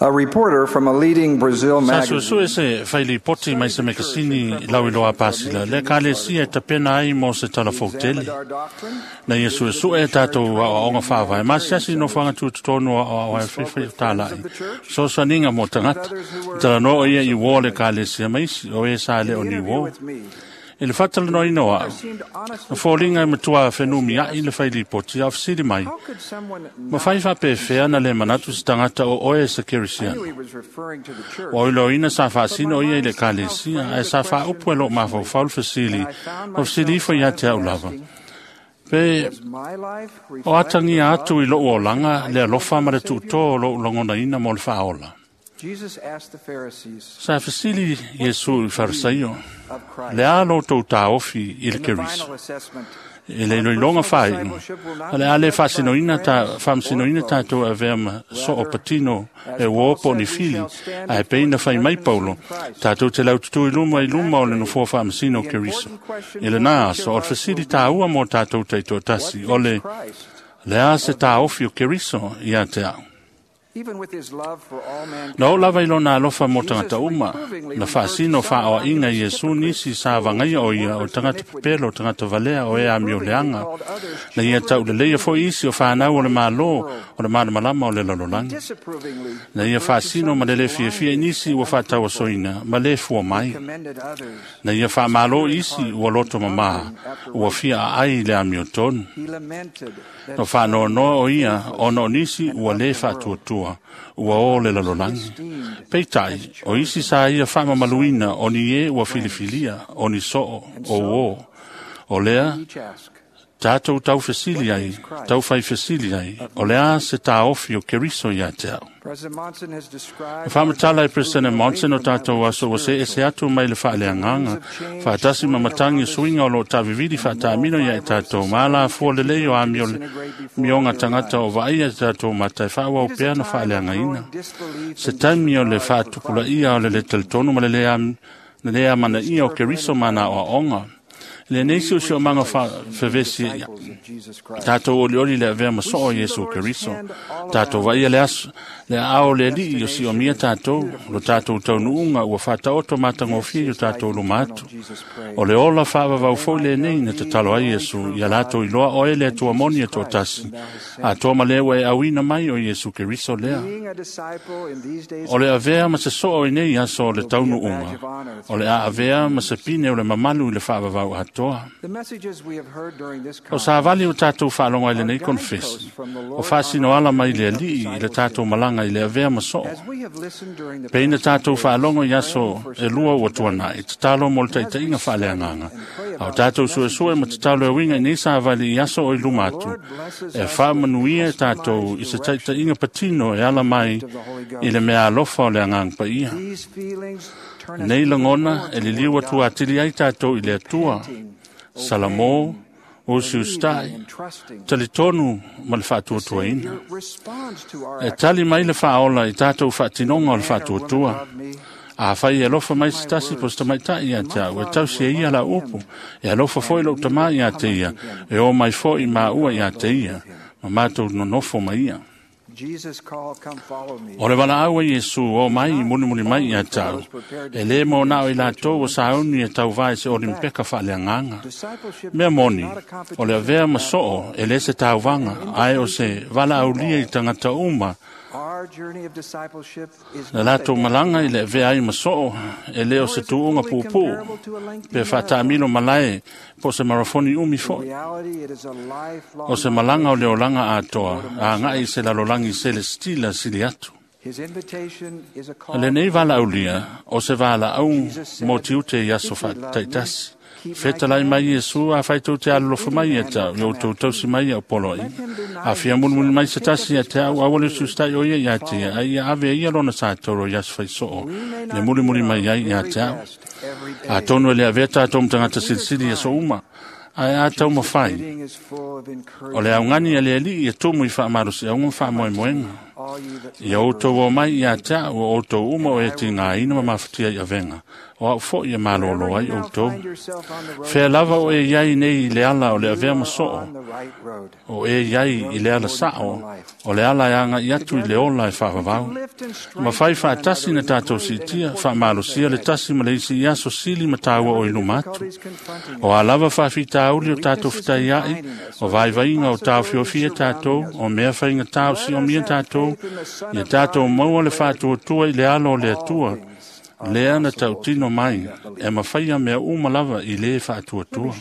A reporter from a leading Brazil Sa magazine suesue se failipoti mai se mekasini lau iloa pasila, le ekalesia e tapena ai mo se talafou tele. examined our doctrine Na ia suesue e tātou aoaoga faavae, ma siasi nofoaga tutotonu o aoaoa e whiwhi o tālai. Sosaninga mo tangata, talanoa o ia i uō le ekalesia maisi, o e sa le o in ni the interview uō. with me I le whatalanoina o au, seemed honestly na fōlinga e matua whenumi ai le whailipoti a ofisiri mai. how could someone Ma not whai whapewhea na le manatu se tangata o oe se I knew kerisiano. he was referring to the church Wa oilo ina sa whaasino ia i le kalesia, ae sa whaaupu e lo mawhauwhau le fasili, and I found o fasili myself ifo ia te au silently lava. asking, Pe does my life o reflect atangia the love atu i lou olanga le alofa ma le of the Savior? tuto o lou lagona ina mo le whaola. Jesus asked the Pharisees Sa fasili Iesu i Farisaio, of Christ le a lo tau tāofi i le in the Keriso. final assessment E le iloiloga whainu. A le ale whaasinoina ta, whaamsinoina tātou a vea ma so o patino e uopo ni fili, a e peina whai mai paulo, tātou te laututu i luma i luma o le nofoa whaamasino o Keriso. I le nā aso, o le fasili tāua mō tātou teito tasi, o what le, thinks Christ le a se tāofi o Keriso i a te au. even with his love for all mankind Na o lava i lona alofa mō tangata uma, na whaasino whaoa inga Iesu nisi sa vangaia o ia o tangata pepelo, o tangata valea o e a mio leanga. Na ia tau le leia fo isi o whanau o le malo, o le malamalama o le lalolagi. disapprovingly Na ia referred to whaasino some ma le le as fiafia blinded nisi ua and whaataua soina, ma le fua mai. commended others Na ia whaamalo isi ua loto mamaha, ua fia a ai le amio tonu. he lamented that No whaanoanoa o ia, ona o nisi ua le whaatuatua, ua o le lalolagi. Peitai, o isi sa ia whaamamaluina o ni e ua filifilia, o ni soo, o o. O lea, each ask tātou tau fesili ai, tau whai fesili ai, o lea se tāofi o Keriso ia te au. President Monson has described Whamatala e President Monson o tātou aso ua se ese atu mai le whaaleanganga. Whaatasi ma matangi suinga o lo tāviviri whaatāmino ia e tātou. Māla fua le lei o amio le mionga tangata o vaia e tātou matai whaua o It is a pea na time of whaaleanga ina. growing disbelief Se and taimi o le disregard for whaatupula Christ. ia o le le teletonu ma le lea, le lea mana ia o Keriso mana o aonga. Le nei si o si o manga whawhewesi ia. Disciples of Jesus Christ. Tātou oli oli le avea maso o Iesu Keriso. Tātou vaia le aso, le ao le li o si o mia tātou, lo tātou taunuunga ua whātaoto mātangofia i o tātou luma atu. Jesus prayed. O le ola whaavavau fo le nei na te talo ai Iesu, ia lātou iloa oe le atua moni e tō tasi. A tō ma lewa e awina mai o Iesu Keriso lea. Being a disciple in these days O le avea ma se soo i nei aso o le taunuunga. O le a avea ma se pine o le mamalu i le whaavavau atoa. the messages we have heard during this O sa conference vali o tātou whaalonga i le nei konfesi. O whaasino ala mai le alii i le tātou malanga i le avea ma soo. as we have listened during the Peina past few tātou days, whaalongo i aso praying for e lua ua spiritual tuana i te talo mo le taitainga whaaleanganga. A o tātou suesue ma te talo e winga i nei sa vali i aso o i luma atu. E whaamanuia e tātou i se taitainga patino e ala mai i le mea alofa o le angang pa ia. These feelings turn us Nei langona more e liliu toward atu God, atili ai tātou i le atua. Salamo, o believing siustai, and trusting. talitonu ma le whaatuatuaina. Savior responds to our E tali mai le whaola i tātou whaatinonga o le Man or woman whaatuatua. above me, A whai e alofa mai se tasi po se tamaitai ia te au, e tausi e ia la upu, e alofa foi lou tamā ia te ia, e o mai foi ma ua ia te ia, ma mātou nonofo mai ia. Jesus called, come follow me. O le wala au e Iesu o mai i munimuni mai ia tau, e le mō nao i lātou o sauni e tau vai se olimpeka whaaleanganga. Discipleship Mea moni, is not a o le competition avea at ma soo e le se tauvaga, ae o se vala aulia i tangata uma, Our journey of discipleship is Na not a lātou malanga i le avea ai ma soo, e leo nor se is it tuunga fully pūpū, comparable to a lengthy pe marathon. whaatāmilo malae, po se marafoni umi In foi. reality, it is a lifelong O se malanga o le olanga atoa, a ngai se lalolangi celestila sili atu. His invitation is a call. Le nei vala aulia, o se vala au mō tiute i aso whaataitasi. Whetalai mai Iesu, a whaitou te alolofa mai ia tau, i o tau tausi mai ia o polo i. A fia munimuni mai se tasi ia te au, awale sustai o ia ia te ia, a ia ave ia lona sa toro i aso whaisoo, We may le not mulimuli be mai our ai ia very te au. best every day. A tonu e le avea tātou mtangata silisili ia so uma, ai a tau mawhai. Bidding is full of O le encouragement. aungani a le ali e tumu i whaamarusi, au ngā whaamoemoenga. Ia outou o mai ia te au o outou uma o e tigāina ma mafatia i avega, o au fo'i e malōlō ai outou. Fea lava o e iai nei i le ala o le avea ma soo, o e iai i le ala sa'o, o le ala e aga'i atu i le ola e faavavau. Mafai faatasi na tatou siitia, faamalosia le tasi ma le isi i aso sili ma taua o i luma atu. O a lava faafitauli o tatou fetaia'i, o vaivaiga o taofiofia tatou, o mea faigatā o siomia tatou, ia tatou maua le faatuatua i le alo o le Atua, lea na tautino mai, e mafaia mea uma lava i lē faatuatua.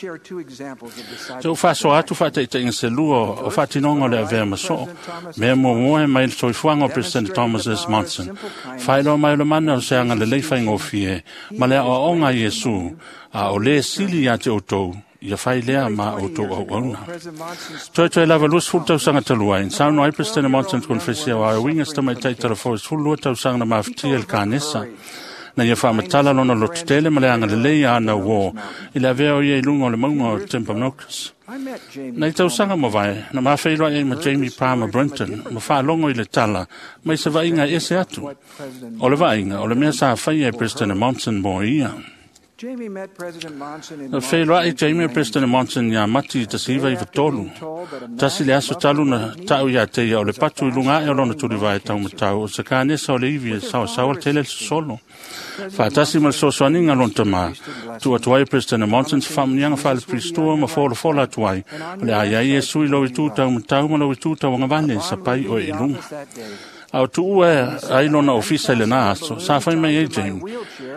Se ua faasoa atu faataitaiga selua o faatinoga o le avea ma soo, mea muamua e mai le soifuaga o President Thomas S. Monson, faailoa mai o le mana o se agalelei faigofie ma le aoaoga a Iesu, a o lē sili iā te outou, ia fai lea ma outou auauna. Toetoe lava 20 tausaga talu ai, saunoa ai President Monson konefesi o auiga se tamaitai talafou e 12 tausaga na mafatia i le kanesa. Na ia faamatala lona lototele ma le agalelei a ana uō i le avea o ia i luga o le mauga o Timpanogos. Na i tausaga mavae, na mafeiloai ai ma Jamie Palmer Brinton, ma faalogo i le tala, mai se vaaiga e ese atu. O le vaaiga, o le mea sa faia e President Monson mo ia. Na feiloai Jamie President Monson iā Mati i 1993. Tasi le aso talu na ta'u iā te ia o le patu i luga ae o lona tulivae taumatau o se kanesa o le ivi e saosaoa tele le sosolo. Faatasi ma le soasoaniga lona tamā, tuu atu ai e President Monson se faamuniaga faalepilistua ma folafola atu ai, o le a iai Iesu i lou itu taumatau ma lou itu tauagavale e sapai oe i luga. A o tuua ai lona ofisa i lenā aso, sa fai mai ai Jamie,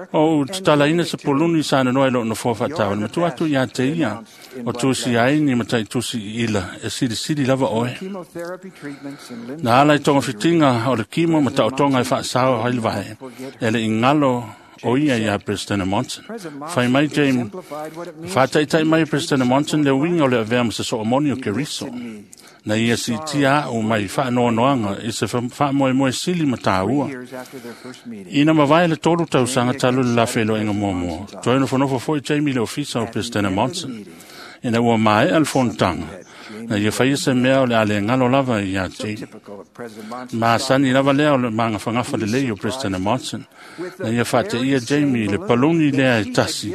o ou tatalaina se poluni sa nanoa i lou nofoa faatauale, ma tuu atu iā te ia, o tusi ai ni mataitusi i ila, e silisili lava oe. Na ala i togafitiga o le kimo ma taotoga e faasao ai le vae, e le igalo o ia iā President Monson. Fai mai Jamie, faataitai mai e President Monson le uiga o le avea ma se soomoni o Keriso. Na ia siitia a'u mai faanoanoaga i se faamoemoe sili ma tāua. Ina mavae le 3 tausaga talu le lafeiloaiga muamua, toe nofonofo fo'i Jamie i le ofisa o President Monson. Ina ua maea le fonotaga, na ia faia se mea o le a le galo lava iā Jamie. Masani lava lea o le magafagafa lelei o President Monson. Na ia faateia Jamie i le paluni lea e tasi,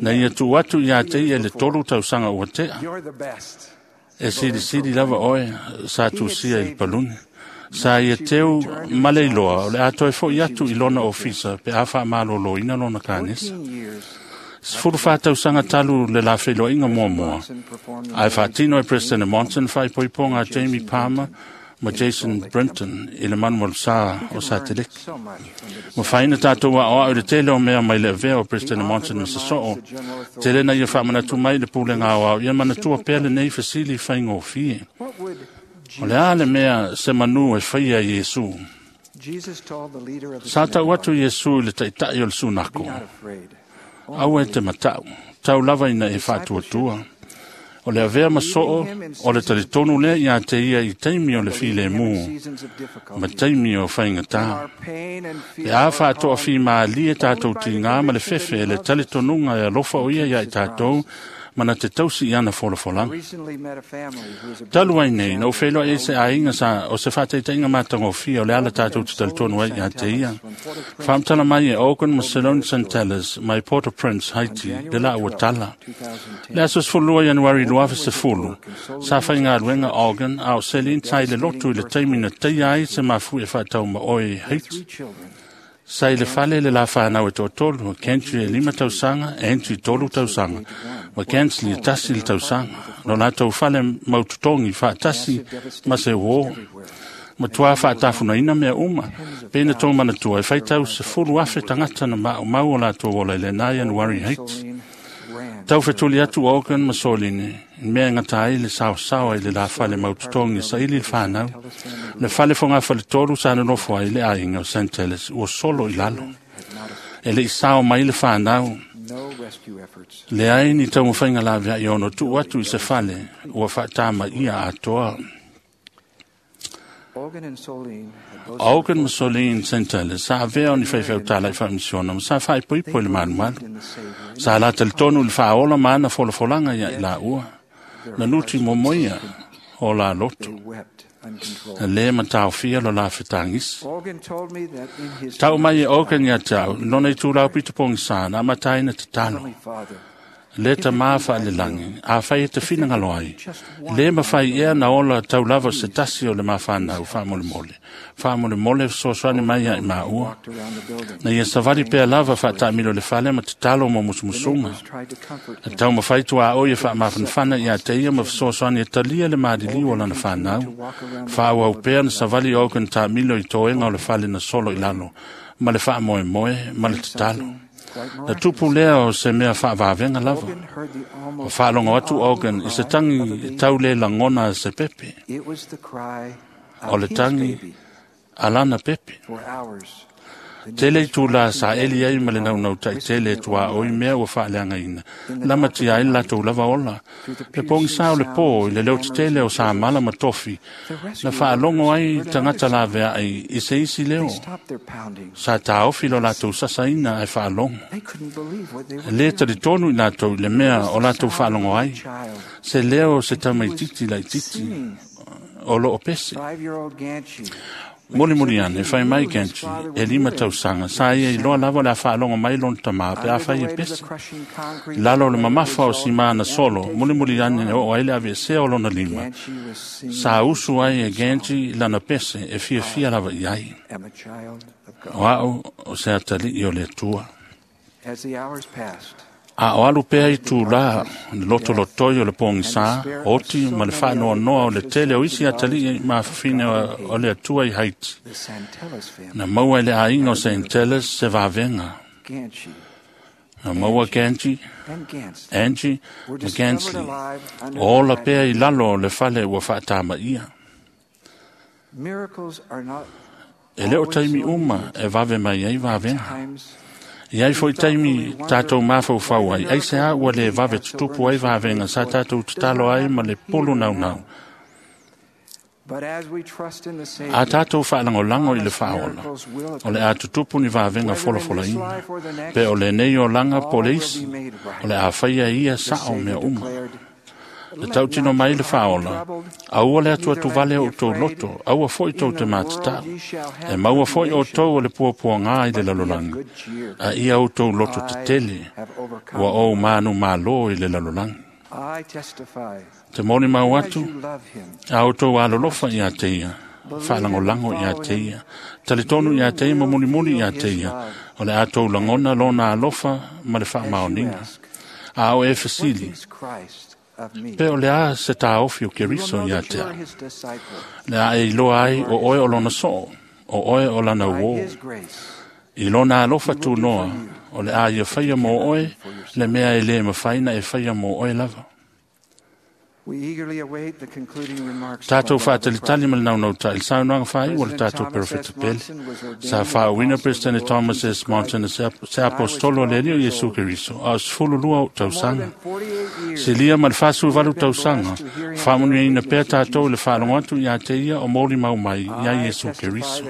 na ia tuu atu iā te ia i le 3 tausaga ua tea. E silisili lava oe sa tusia i le paluni. Sa ia teu ma le iloa o le a toe fo'i atu i lona ofisa pe a faamalōlōina lona kanesa. 14 tausaga talu le lafeiloaiga muamua, ae faatino e President Monson faaipoipoga a Jamie Palmer ma Jason Brinton i le manumalusā o Sateleki. Mafaina tatou aoao i le tele o mea mai le avea o President Monson ma sosoo, tele na ia faamanatu mai le pulega aoao ia manatua pea lenei fesili faigofie. O le a le mea se manu e faia i Iesu? Sa tau atu Iesu i le taita'i o le sunako, aua e te mata'u, tau lava ina e faatuatua. O le avea ma soo, o le talitonu lea iā te ia i taimi o le filemu, ma taimi o faigatā. Pe a faatoafimālie tatou tigā ma le fefe e le talitonuga e alofa o ia iā i tatou, ma na te tausi i ana folafolaga. Talu ai nei, na ou feiloai ai se aiga sa o se faataitaiga matagofie o le ala tatou te talitonu ai iā te ia. Faamatala mai e Ogan ma Salone Santeles mai Port-au-Prince, Haiti, le laua tala. Le aso 12 Ianuari 2010, sa faigaluega Ogan a o Celine sai le lotu i le taimi na teia ai se mafuie faataumaoe i Haiti. Sa i le fale le la whanau e toatolu, Kentry e 5 tausaga, Andrew 3 tausaga, ma Kensley e 1 le tausaga. No latou fale mautotogi faatasi ma se uō. Matua faatafunaina mea uma, pe na tō manatua e faitau 10,000 tagata na maumau o latou ola i lenā Ianuari Haiti. Tau fetuli atu Ogan ma Soline, mea e gata ai le saosaoa i le la fale mautotogi e saili le whanau. Le fale fogafale tolu sa nonofo ai le aiga o Santeles ua solo i lalo. E le i sao mai le whanau. Leai ni taumafaiga laveai ono tuu atu i se fale ua faatamaia atoa. Ogan ma Soline Santeles sa avea o ni faifeutala i faamisiona ma sa faaipoipo i le malumalu. Sa la talitonu i le faaola ma ana folafolaga ia i laua. Na nuti momoia o la lotu. Le mataofia lo la fetagisi. Tau mai e Ogan ia te au, lona i tūlau pito pogisa na amataina tatalo. Le tamā whaalelagi, a whai e te whinangalo ai. Le mawhai ea na ola taulava se tasi o le mawhanau whaamolemole. Whaamolemole fesoasoani mai ia i maua. Na ia savali pea lava whaatamilo le fale ma tatalo mo musumusunga. E tau mawhai tua o ia whaamafanafana ia te ia ma fesoasoani e talia le maadiliu o lana whanau. Whaauau pea na savali o kan tāmilo i toenga o le fale na solo i lalo. Ma le whaamoemoe, ma le tatalo. Na tupu lea o se mea whaavavenga lava. O whaalongo atu Ogan i se tangi tau le langona se pepe. O le tangi alana pepe. Tele i tūlā sa eli ai ma le naunau tai tele tua o i mea ua whaaleangaina. Lama tia ai latou lava ola. Le pongi sa o le pō i le leo tele o sa mala ma tofi. Na whaalongo ai tangata la vea ai i se isi leo. Sa tāofi lo latou sasaina ai whaalongo. Le taritonu i latou i le mea o latou whaalongo ai. Se leo se tamaititi laititi o loo pese. Moli moli ane, whai mai Genji, e lima tausaga, sa ia i loa lava le a whaalongo mai lona tamā pe a whai e pese. Lalo le mamafa o sima na solo, moli moli ane o ai le ave o lona lima. Sa usu ai e Genji lana pese e fia fia lava i ai. O au o se atali i o le atua. A o alu pea i tūlā, le loto lotoi o le pōngisa, oti ma le whaanoa noa o le tele o isi atali i mawhawhine o le atua i Haiti. Na maua i le ainga o Saint se vavenga. Na maua Genji, Angie ma Gansley. O ola pea i lalo o le fale ua whaatama ia. E leo taimi uma e vave mai ai vavenga. I ai foi taimi tātou mawhauwhau ai, ai se a ua le vave tutupu ai vavenga sa tātou tatalo ai ma le pulu nau nau. A tātou whaalangolango i le whaola, o le a tutupu ni vavenga folafola ina, pe o le nei o langa po le isi, o le a whaia ia sa o mea uma. Le tautino mai le whaola, aua le atua tuvale o tō loto, aua foi tō te mātatau. E maua foi o tō o le puapua ngā i le lalolangi, a ia o tō loto te tele, ua o mānu mālō i le lalolangi. Te moni mau atu, a o tō alolofa i a te ia, whaalangolango i a te ia, talitonu i a te ia, mamunimuni i a te ia, o le a tō langona lona alofa ma le whaamaoninga. A o e fasili, pe o le a se tāofi o Keriso i a te au. Le a e iloa ai o oe o lona soo, o oe o lana uo. I lona alofa tūnoa, o le a ia whaia mō oe, le mea e le mawhaina e whaia mō oe lava. Tātou whaatalitali ma le naunau ta il saunoaga whai o le tātou perofeta pele. Sa whaawina President Thomas S. Monson se apostolo le Alii o Iesu Keriso, a o 12 o tausaga. Se lia ma le 48 tausaga, whaamunuina pea tātou le whaalongo atu i a te ia o moli mau mai i a Iesu Keriso.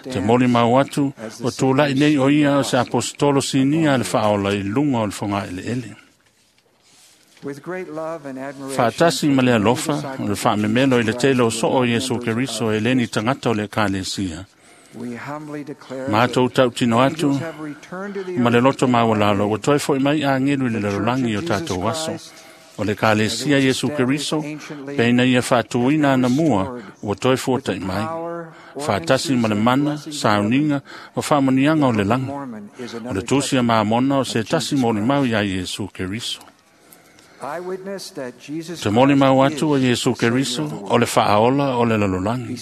Te moli mau atu o tūlai nei o ia o se apostolo sinia le whaola i lunga o le whonga ele ele. Whaatasi ma le alofa, o le whaamemelo i le tele o soo Iesu Keriso e leni tangata o le ekalesia. Mātou tautino atu, ma le loto maualalo, ua toe foi mai angelu i le lalolagi o tātou aso. O le ekalesia Iesu Keriso, peina ia whaatuina ana mua, ua toe fuatai mai. Whaatasi ma le mana, sauninga, o whaamonianga o le langa. O le tūsia maamona o se tasi moni mau ia Iesu Keriso. Te moni mau atu o Iesu Keriso, o le whaaola o le lalolagi.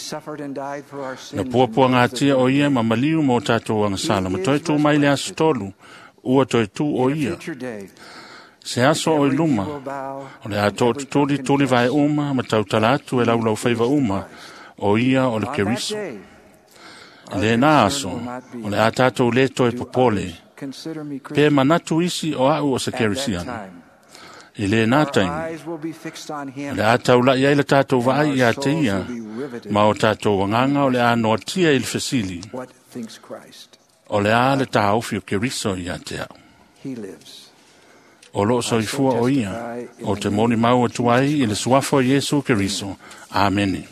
Na puapua ngā o ia ma maliu mō tātou angasala, ma toe tū mai le aso tolu, ua toe tū o ia. Se aso o i luma, o le a tō tuli vae uma, ma tautala atu e laulau whaiva uma, o ia o le Keriso. Le nā aso, o le a tātou le toe popole, pe manatu isi o au o se Kerisiana. I le nā taimi, le a taulai ai le tātou vaai i a te ia, ma o tātou wanganga o le a noatia i le fesili, o le a le tāofi o Keriso i a te au. O loo soifua o ia, o te moni mau atu ai i le suafa o Iesu Keriso. Amene.